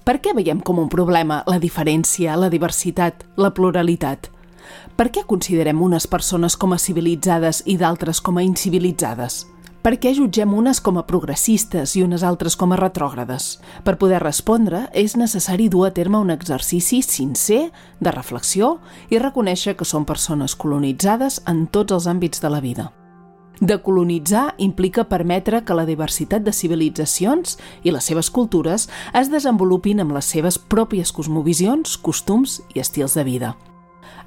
Per què veiem com un problema la diferència, la diversitat, la pluralitat? Per què considerem unes persones com a civilitzades i d'altres com a incivilitzades? Per què jutgem unes com a progressistes i unes altres com a retrògrades? Per poder respondre, és necessari dur a terme un exercici sincer de reflexió i reconèixer que som persones colonitzades en tots els àmbits de la vida. Decolonitzar implica permetre que la diversitat de civilitzacions i les seves cultures es desenvolupin amb les seves pròpies cosmovisions, costums i estils de vida.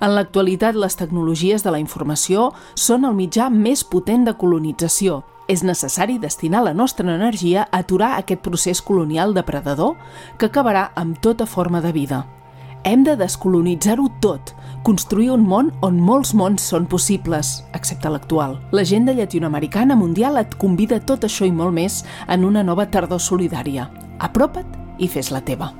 En l'actualitat, les tecnologies de la informació són el mitjà més potent de colonització. És necessari destinar la nostra energia a aturar aquest procés colonial depredador que acabarà amb tota forma de vida. Hem de descolonitzar-ho tot, construir un món on molts mons són possibles, excepte l'actual. L'agenda llatinoamericana mundial et convida a tot això i molt més en una nova tardor solidària. Apropa't i fes-la teva.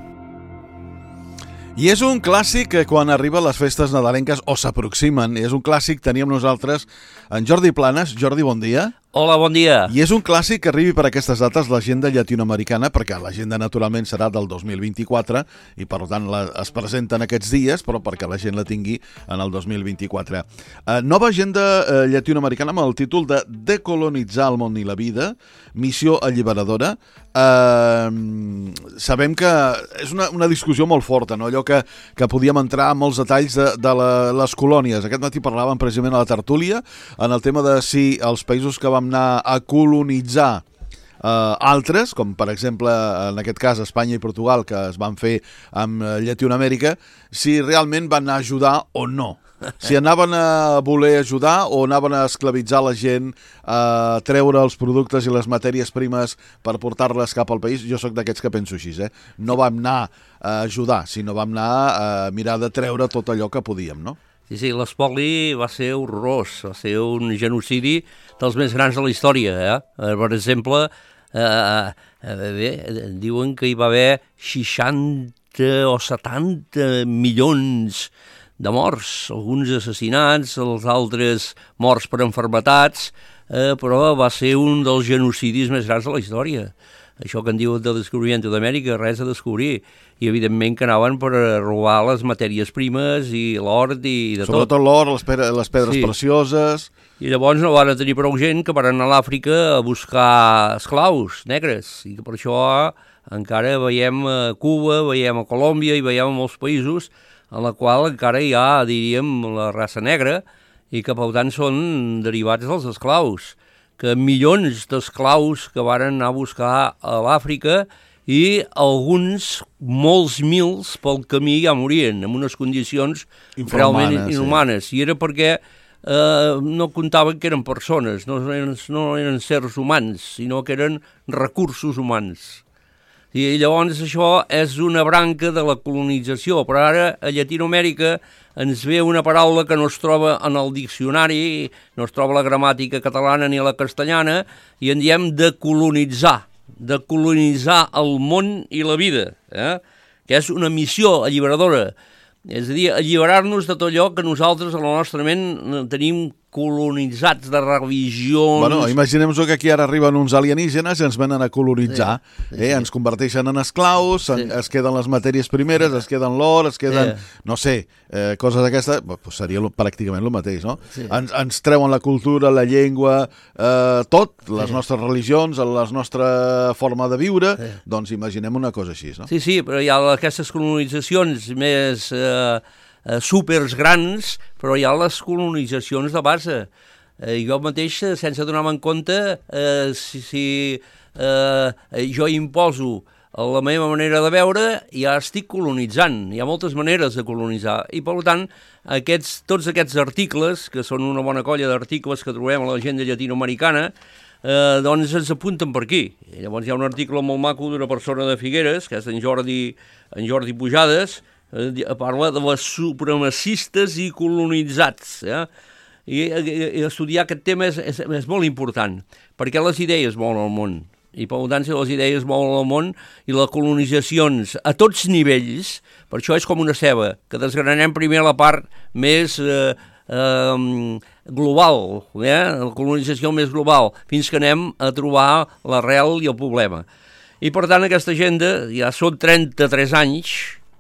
I és un clàssic que quan arriben les festes nadalenques o s'aproximen, és un clàssic, teníem nosaltres en Jordi Planes. Jordi, bon dia. Hola, bon dia. I és un clàssic que arribi per aquestes dates l'agenda llatinoamericana, perquè l'agenda naturalment serà del 2024 i per tant es presenta en aquests dies, però perquè la gent la tingui en el 2024. Nova agenda llatinoamericana amb el títol de Decolonitzar el món i la vida, missió alliberadora. Sabem que és una discussió molt forta, no? Allò que podíem entrar en molts detalls de les colònies. Aquest matí parlàvem precisament a la tertúlia en el tema de si els països que vam anar a colonitzar altres, com per exemple en aquest cas Espanya i Portugal, que es van fer amb Llatinoamèrica, si realment van anar a ajudar o no. Si anaven a voler ajudar o anaven a esclavitzar la gent, a treure els productes i les matèries primes per portar-les cap al país. Jo sóc d'aquests que penso així, No vam anar a ajudar, sinó vam anar a mirar de treure tot allò que podíem, no? Sí, l'espoli va ser horrorós, va ser un genocidi dels més grans de la història. Per exemple, diuen que hi va haver 60 o 70 milions de morts, alguns assassinats, els altres morts per enfermetats, però va ser un dels genocidis més grans de la història. Això que en diuen de descobriment d'Amèrica, res a descobrir. I evidentment que anaven per robar les matèries primes i l'or i de tot. Sobretot l'or, les pedres precioses. I llavors no van tenir prou gent que van anar a l'Àfrica a buscar esclaus negres. I que per això encara veiem a Cuba, veiem a Colòmbia i veiem a molts països en la qual encara hi ha, diríem, la raça negra i que per tant són derivats dels esclaus, que milions d'esclaus que van anar a buscar a l'Àfrica i alguns, molts mils pel camí ja morien en unes condicions realment inhumanes. I era perquè no comptaven que eren persones, no eren sers humans, sinó que eren recursos humans. I llavors això és una branca de la colonització, però ara a Llatinoamèrica ens ve una paraula que no es troba en el diccionari, no es troba la gramàtica catalana ni la castellana, i en diem decolonitzar el món i la vida, que és una missió alliberadora, és a dir, alliberar-nos de tot allò que nosaltres a la nostra ment tenim colonitzats de religions... Bueno, imaginem-nos que aquí ara arriben uns alienígenes i ens venen a colonitzar, ens converteixen en esclaus, es queden les matèries primeres, es queden l'or, es queden, no sé, coses d'aquestes, seria pràcticament el mateix, no? Ens treuen la cultura, la llengua, tot, les nostres religions, la nostra forma de viure, doncs imaginem una cosa així, no? Sí, però hi ha aquestes colonitzacions més... súpers grans, però hi ha les colonitzacions de base. Jo mateix, sense donar-me en compte, si jo imposo la meva manera de veure, ja estic colonitzant. Hi ha moltes maneres de colonitzar. I, per tant, tots aquests articles, que són una bona colla d'articles que trobem a l'agenda llatinoamericana, doncs ens apunten per aquí. I llavors hi ha un article molt maco d'una persona de Figueres, que és en Jordi Pujades, parla de les supremacistes i colonitzats. I estudiar aquest tema és molt important, perquè les idees mouen el món. I per tant, si les idees mouen el món i les colonitzacions a tots nivells, per això és com una ceba, que desgranem primer la part més global, la colonització més global, fins que anem a trobar l'arrel i el problema. I per tant aquesta agenda ja són 33 anys,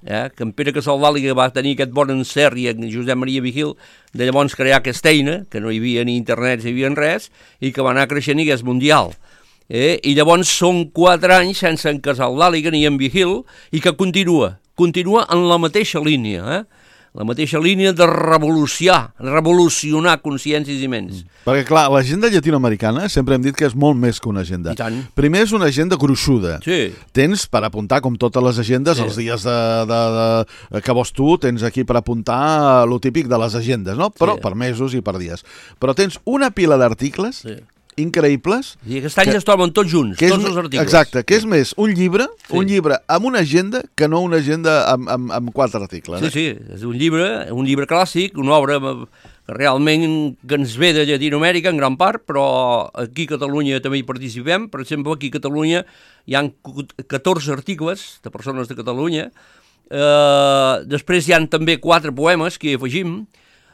que en Pere Casaldàliga va tenir aquest bon encert i en Josep Maria Vigil de llavors crear aquesta eina, que no hi havia ni internet, ni hi havia res, i que va anar creixent i que és mundial. I llavors són 4 anys sense en Casaldàliga ni en Vigil i que continua en la mateixa línia, la mateixa línia de revolucionar consciències i ments. Perquè, clar, l'agenda llatinoamericana sempre hem dit que és molt més que una agenda. I tant. Primer és una agenda gruixuda. Sí. Tens per apuntar, com totes les agendes, els dies que vols tu, tens aquí per apuntar lo típic de les agendes, no? Però per mesos i per dies. Però tens una pila d'articles increïbles. I aquest any es troben tots junts, tots els articles. Exacte, que és més un llibre amb una agenda que no una agenda amb 4 articles. Sí, és un llibre clàssic, una obra que realment que ens ve de Llatinoamèrica en gran part, però aquí a Catalunya també hi participem. Per exemple, aquí a Catalunya hi ha 14 articles de persones de Catalunya. Després hi ha també 4 poemes que hi afegim.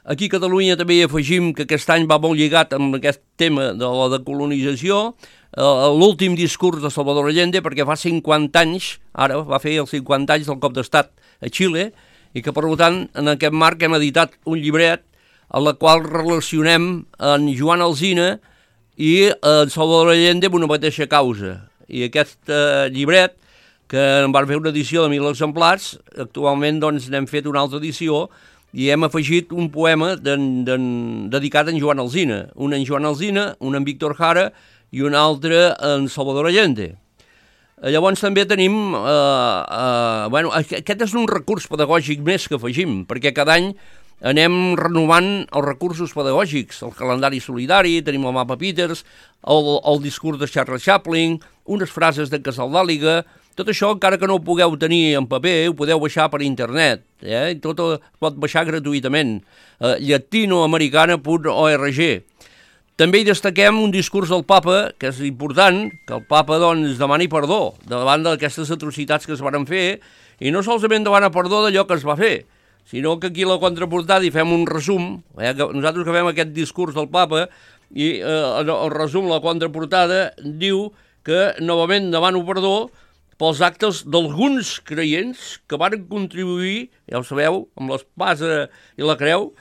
Aquí a Catalunya també hi afegim que aquest any va molt lligat amb aquest tema de la decolonització, l'últim discurs de Salvador Allende, perquè fa 50 anys, ara va fer els 50 anys del cop d'estat a Xile, i que per tant en aquest marc hem editat un llibret en la qual relacionem en Joan Alsina i en Salvador Allende amb una mateixa causa. I aquest llibret, que en van fer una edició de 1.000 exemplars, actualment doncs n'hem fet una altra edició i hem afegit un poema dedicat a en Joan Alsina. Un en Joan Alsina, un en Víctor Jara i un altre en Salvador Allende. Llavors també tenim... aquest és un recurs pedagògic més que afegim, perquè cada any anem renovant els recursos pedagògics, el calendari solidari, tenim el mapa Peters, el discurs de Charles Chaplin, unes frases de Casaldàliga. Tot això, encara que no ho pugueu tenir en paper, ho podeu baixar per internet. I tot es pot baixar gratuïtament. Latinoamericana.org. També hi destaquem un discurs del papa, que és important, que el papa doncs, demani perdó davant d'aquestes atrocitats que es van fer, i no solament demana perdó d'allò que es va fer, sinó que aquí a la contraportada hi fem un resum. Nosaltres que fem aquest discurs del papa, i el resum, la contraportada, diu que novament demano perdó pels actes d'alguns creients que van contribuir, ja ho sabeu, amb l'espasa i la creu,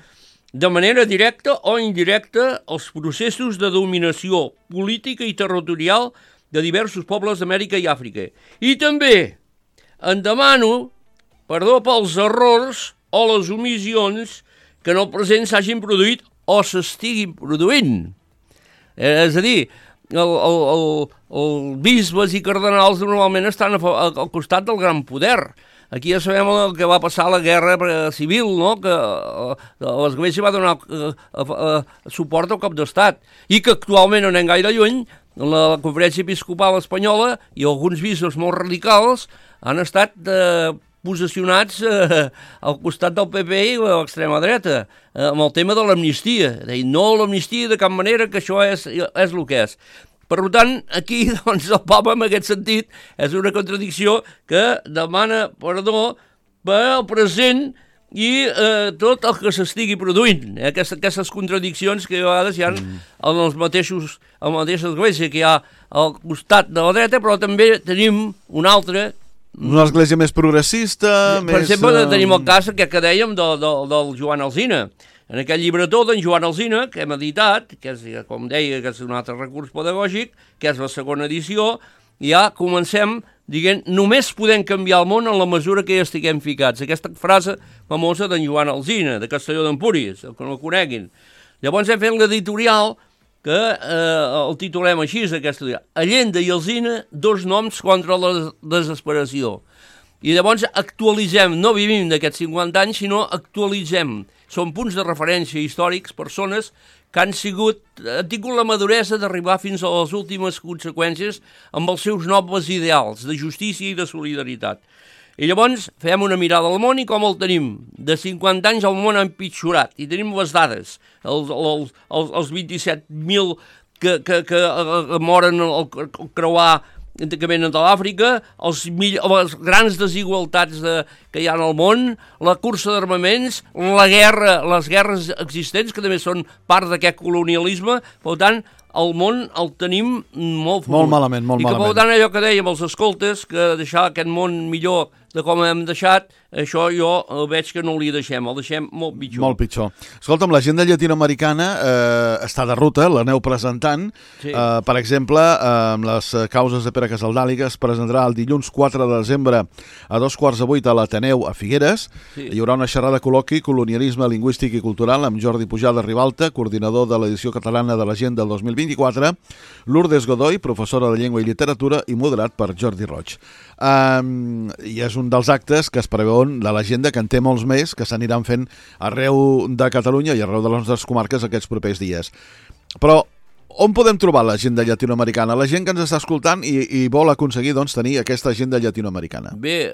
de manera directa o indirecta als processos de dominació política i territorial de diversos pobles d'Amèrica i Àfrica. I també en demano perdó pels errors o les omissions que en el present s'hagin produït o s'estiguin produint. És a dir, els bisbes i cardenals normalment estan al costat del gran poder. Aquí ja sabem el que va passar a la guerra civil, no? Que l'Església va donar suport al cop d'estat i que actualment no anem gaire lluny, la Conferència Episcopal Espanyola i alguns bisbes molt radicals han estat posicionats al costat del PP i l'extrema dreta amb el tema de l'amnistia. No l'amnistia de cap manera, que això és el que és. Per tant, aquí doncs, el papa, en aquest sentit, és una contradicció que demana perdó pel present i tot el que s'estigui produint. Aquestes contradiccions que a vegades hi ha en la mateixa església que hi ha al costat de la dreta, però també tenim una altra. Una església més progressista, per exemple, tenim el cas que dèiem del Joan Alsina. En aquest llibretó d'en Joan Alsina, que hem editat, que és, com deia, que és un altre recurs pedagògic, que és la segona edició, ja comencem dient, només podem canviar el món en la mesura que hi estiguem ficats. Aquesta frase famosa d'en Joan Alsina, de Castelló d'Empúries, el que no el coneguin. Llavors hem fet l'editorial, que el titulem així, aquesta, Allende i Alsina, 2 noms contra la desesperació. I llavors actualitzem, no vivim d'aquests 50 anys, sinó actualitzem. Són punts de referència històrics, persones que han tingut la maduresa d'arribar fins a les últimes conseqüències amb els seus nobles ideals de justícia i de solidaritat. I llavors fem una mirada al món i com el tenim. De 50 anys el món ha empitjorat i tenim les dades, els 27.000 que moren al creuar que venen de l'Àfrica, les grans desigualtats que hi ha al món, la cursa d'armaments, la guerra, les guerres existents, que també són part d'aquest colonialisme. Per tant, el món el tenim molt fotut. Molt malament, molt malament. I que per tant allò que dèiem els escoltes, que deixar aquest món millor de com hem deixat, això jo veig que no li deixem, el deixem molt pitjor. Molt pitjor. Escolta'm, l'agenda llatinoamericana està de ruta, l'aneu presentant. Sí. Per exemple, amb les causes de Pere Casaldàliga es presentarà el dilluns 4 de desembre a 7:15 a l'Ateneu a Figueres. Sí. Hi haurà una xerrada col·loqui, colonialisme lingüístic i cultural, amb Jordi Pujada Ribalta, coordinador de l'edició catalana de l'Agenda del 2024, Lourdes Godoy, professora de Llengua i Literatura, i moderat per Jordi Roig. I és un dels actes que es preveuen de l'agenda, que en té molts més, que s'aniran fent arreu de Catalunya i arreu de les nostres comarques aquests propers dies. Però on podem trobar l'agenda llatinoamericana? La gent que ens està escoltant i vol aconseguir doncs, tenir aquesta agenda llatinoamericana. Bé,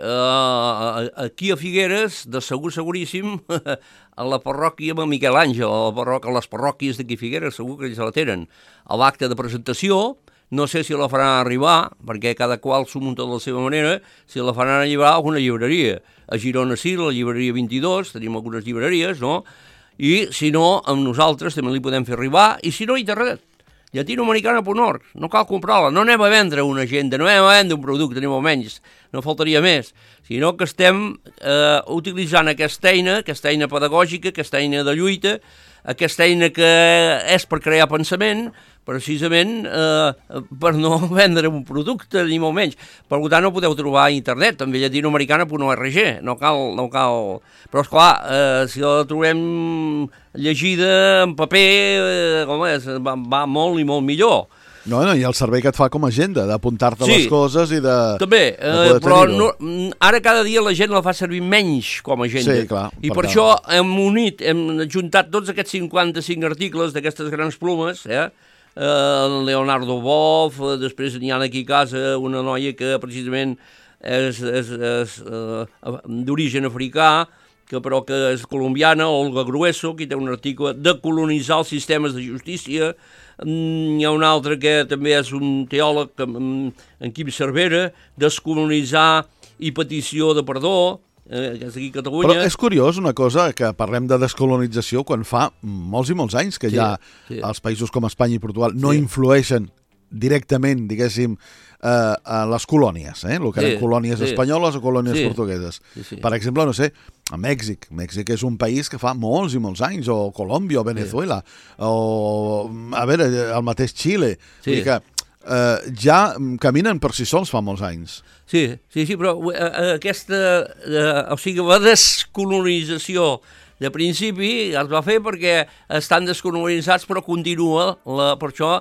aquí a Figueres, de seguríssim, a la parròquia amb Miquel Àngel, a les parròquies d'aquí a Figueres, segur que ells la tenen. A l'acte de presentació, no sé si la faran arribar, perquè cada qual s'ho munta de la seva manera, si la faran arribar a alguna llibreria. A Girona sí, la llibreria 22, tenim algunes llibreries, no? I si no, amb nosaltres també li podem fer arribar, i si no, internet. Llatinoamericana.org, no cal comprar-la, no anem a vendre una agenda, no anem a vendre un producte, ni molt menys, no faltaria més, sinó que estem utilitzant aquesta eina pedagògica, aquesta eina de lluita, aquesta eina que és per crear pensament, precisament per no vendre un producte, ni molt menys. Per tant, ho podeu trobar a internet, també llatinoamericana.org, no cal... Però, esclar, si la trobem llegida en paper, va molt i molt millor. No, i el servei que et fa com a agenda, d'apuntar-te les coses i de... També, però ara cada dia la gent la fa servir menys com a agenda. Sí, clar. I per això hem juntat tots aquests 55 articles d'aquestes grans plumes, Leonardo Boff, després n'hi ha aquí a casa una noia que precisament és d'origen africà, però que és colombiana, Olga Grueso, que té un article de colonitzar els sistemes de justícia. Hi ha un altre que també és un teòleg, en Quim Cervera, descolonitzar i petició de perdó, que és aquí a Catalunya. Però és curiós una cosa, que parlem de descolonització quan fa molts i molts anys que ja els països com Espanya i Portugal no influeixen directament, diguéssim, a les colònies, el que eren colònies espanyoles o colònies portugueses. Per exemple, no sé, a Mèxic. Mèxic és un país que fa molts i molts anys, o Colòmbia, o Venezuela, o, a veure, el mateix Xile. Vull dir que ja caminen per si sols fa molts anys. Sí, però aquesta, o sigui, la descolonització de principi es va fer perquè estan descolonitzats, però continua, per això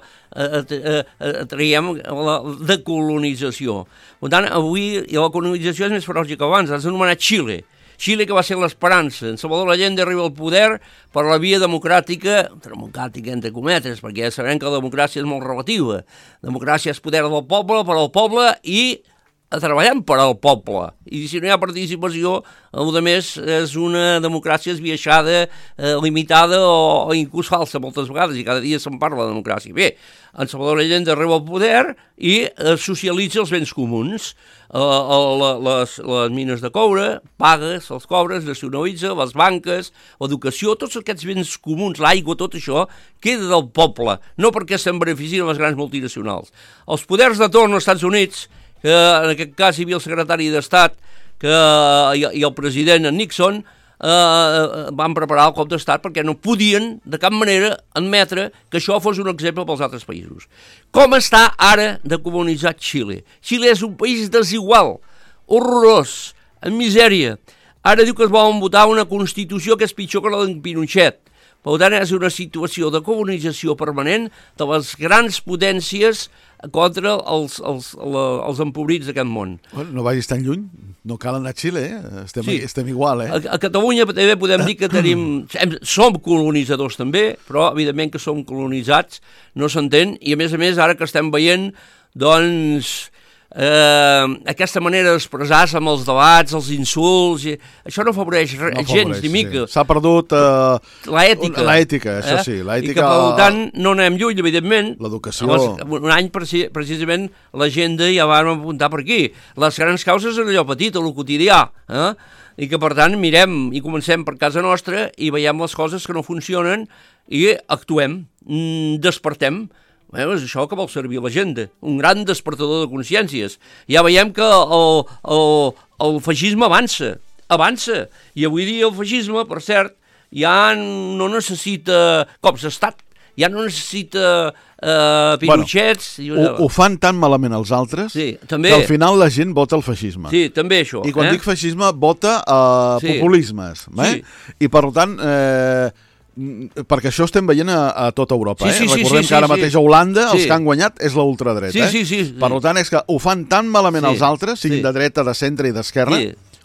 traiem la decolonització. Per tant, avui la colonització és més feroç que abans, has anomenat Xile. Xile, que va ser l'esperança. En Salvador Allende arriba al poder per la via democràtica entre cometes, perquè ja sabem que la democràcia és molt relativa. Democràcia és poder del poble, per al poble i treballant per al poble. I si no hi ha participació, a més és una democràcia esbiaixada, limitada o inclús falsa moltes vegades, i cada dia se'n parla de democràcia. Bé, en Salvador Allende arriba al poder i socialitza els béns comuns. Les mines de coure, pagues, els cobres, nacionalitza, les banques, l'educació, tots aquests béns comuns, l'aigua, tot això, queda del poble, no perquè se'n beneficien les grans multinacionals. Els poders de torn als Estats Units, que en aquest cas hi havia el secretari d'Estat i el president Nixon, van preparar el cop d'estat perquè no podien de cap manera admetre que això fos un exemple pels altres països. Com està ara decolonitzat Xile? Xile és un país desigual, horrorós, en misèria. Ara diu que es volen votar una Constitució que és pitjor que la d'en Pinochet. Per tant, és una situació de colonització permanent de les grans potències contra els empobrits d'aquest món. No vagis tan lluny, no cal anar a Xile, estem igual. A Catalunya també podem dir que som colonitzadors també, però evidentment que som colonitzats, no s'entén, i a més, ara que estem veient, doncs, aquesta manera d'expressar-se amb els debats, els insults, això no afavoreix gens ni mica. S'ha perdut l'ètica, això sí. I que per tant no anem lluny, evidentment. L'educació. Un any precisament l'agenda ja vam apuntar per aquí. Les grans causes en allò petit, a lo quotidià, i que per tant mirem i comencem per casa nostra i veiem les coses que no funcionen i actuem, despertem. És això que vol servir l'agenda, un gran despertador de consciències. Ja veiem que el feixisme avança, i avui dia el feixisme, per cert, ja no necessita cops d'estat, ja no necessita Pinochets... Ho fan tan malament els altres que al final la gent vota el feixisme. Sí, també això. I quan dic feixisme, vota populismes. I per tant... perquè això estem veient a tota Europa. Recordem que ara mateix a Holanda els que han guanyat és la ultradreta. Per tant, és que ho fan tan malament els altres, siguin de dreta, de centre i d'esquerra,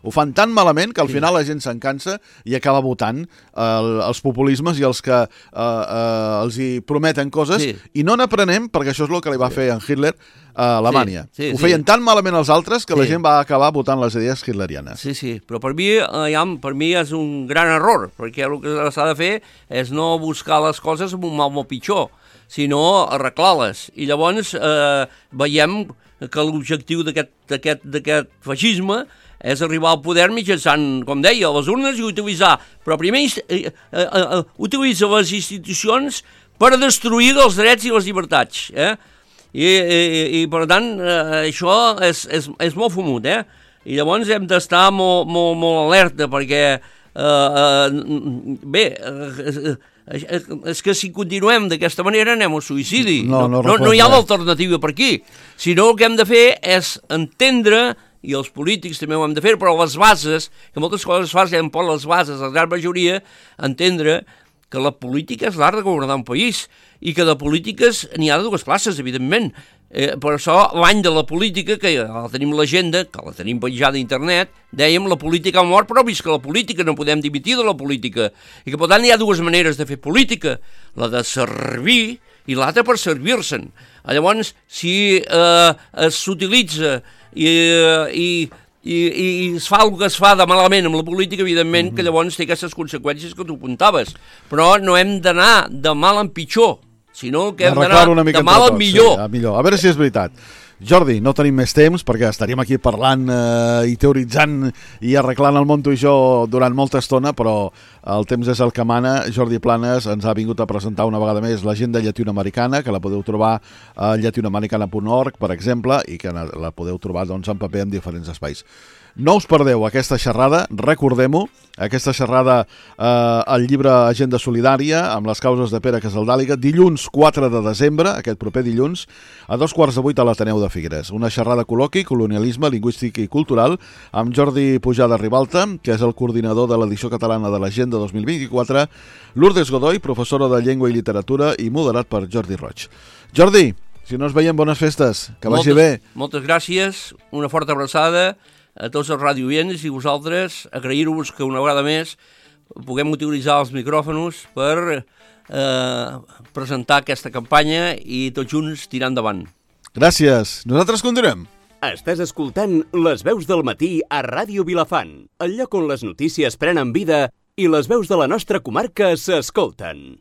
ho fan tan malament que al final la gent se'n cansa i acaba votant els populismes i els que els hi prometen coses i no n'aprenem, perquè això és el que li va fer en Hitler a Alemanya. Ho feien tan malament els altres que la gent va acabar votant les idees hitlerianes. Sí, però per mi és un gran error, perquè el que s'ha de fer és no buscar les coses amb un mal molt pitjor, sinó arreglar-les. I llavors veiem que l'objectiu d'aquest feixisme és arribar al poder mitjançant, com deia, les urnes i utilitzar, però primer utilitza les institucions per destruir els drets i les llibertats, i per tant això és molt fumut, i llavors hem d'estar molt alerta, perquè és que si continuem d'aquesta manera anem al suïcidi, no hi ha l'alternativa per aquí, sinó el que hem de fer és entendre, i els polítics també ho hem de fer, però les bases, que moltes coses es fan per les bases, la gran majoria, entendre que la política és l'art de governar un país i que de polítiques n'hi ha de dues classes, evidentment. Per això l'any de la política, que ja tenim l'agenda, que la tenim penjada a internet, dèiem la política ha mort, però visca la política, no podem dimitir de la política. I que per tant hi ha dues maneres de fer política, la de servir i l'altra per servir-se'n. Llavors, si s'utilitza i es fa el que es fa de malament amb la política, evidentment que llavors té aquestes conseqüències que tu apuntaves. Però no hem d'anar de mal en pitjor, sinó que hem d'anar de mal en millor. A veure si és veritat. Jordi, no tenim més temps perquè estaríem aquí parlant i teoritzant i arreglant el món tu i jo durant molta estona, però el temps és el que mana. Jordi Planes ens ha vingut a presentar una vegada més l'agenda llatinoamericana, que la podeu trobar a llatinoamericana.org, per exemple, i que la podeu trobar en paper en diferents espais. No us perdeu aquesta xerrada, recordem-ho, aquesta xerrada al llibre Agenda Solidària amb les causes de Pere Casaldàliga, dilluns 4 de desembre, aquest proper dilluns, a 7:15 a l'Ateneu de Figueres. Una xerrada col·loqui, colonialisme lingüístic i cultural, amb Jordi Pujada Ribalta, que és el coordinador de l'edició catalana de l'Agenda 2024, Lourdes Godoy, professora de Llengua i Literatura, i moderat per Jordi Roig. Jordi, si no ens veiem, bones festes, que vagi bé. Moltes gràcies, una forta abraçada a tots els radioients i vosaltres, agrair-vos que una vegada més puguem utilitzar els micròfons per presentar aquesta campanya i tots junts tirar endavant. Gràcies. Nosaltres continuem. Estàs escoltant Les veus del matí a Ràdio Vilafant, el lloc on les notícies prenen vida i les veus de la nostra comarca s'escolten.